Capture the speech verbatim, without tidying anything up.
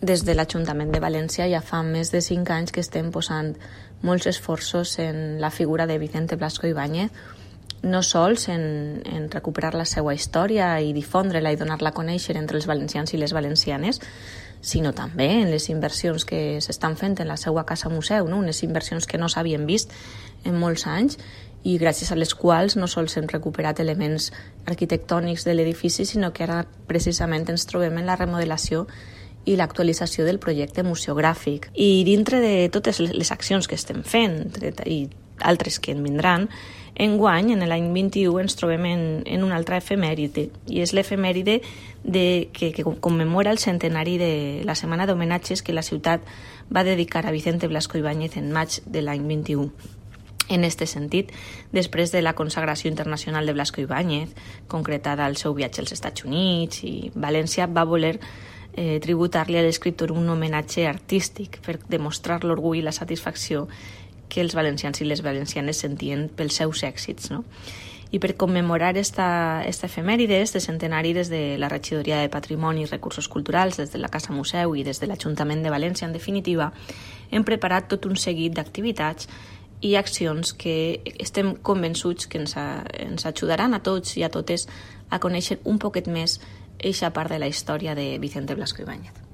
des de l'Ajuntament de València ja fa més de cinc anys que estem posant molts esforços en la figura de Vicente Blasco Ibáñez, no sols en, en recuperar la seva història i difondre-la i donar-la a conèixer entre els valencians i les valencianes, sinó també en les inversions que s'estan fent en la seva casa museu, no? Unes inversions que no s'havien vist en molts anys i gràcies a les quals no sols hem recuperat elements arquitectònics de l'edifici, sinó que ara precisament ens trobem en la remodelació i l'actualització del projecte museogràfic. I dintre de totes les accions que estem fent i altres que en vindran, enguany, en l'any vint-i-u, ens trobem en, en una altra efemèride, i és l'efemèride de, que, que commemora el centenari de la setmana d'homenatges que la ciutat va dedicar a Vicente Blasco Ibáñez en maig de l'any vint-i-u. En aquest sentit, després de la consagració internacional de Blasco Ibáñez, concretada al seu viatge als Estats Units, i València va voler eh, tributar-li a l'escriptor un homenatge artístic per demostrar l'orgull i la satisfacció que els valencians i les valencianes sentien pels seus èxits, no? I per commemorar esta, esta efemèride, este centenari, des de la Regidoria de Patrimoni i Recursos Culturals, des de la Casa Museu i des de l'Ajuntament de València, en definitiva, hem preparat tot un seguit d'activitats i accions que estem convençuts que ens, a, ens ajudaran a tots i a totes a conèixer un poquet més eixa part de la història de Vicente Blasco Ibáñez.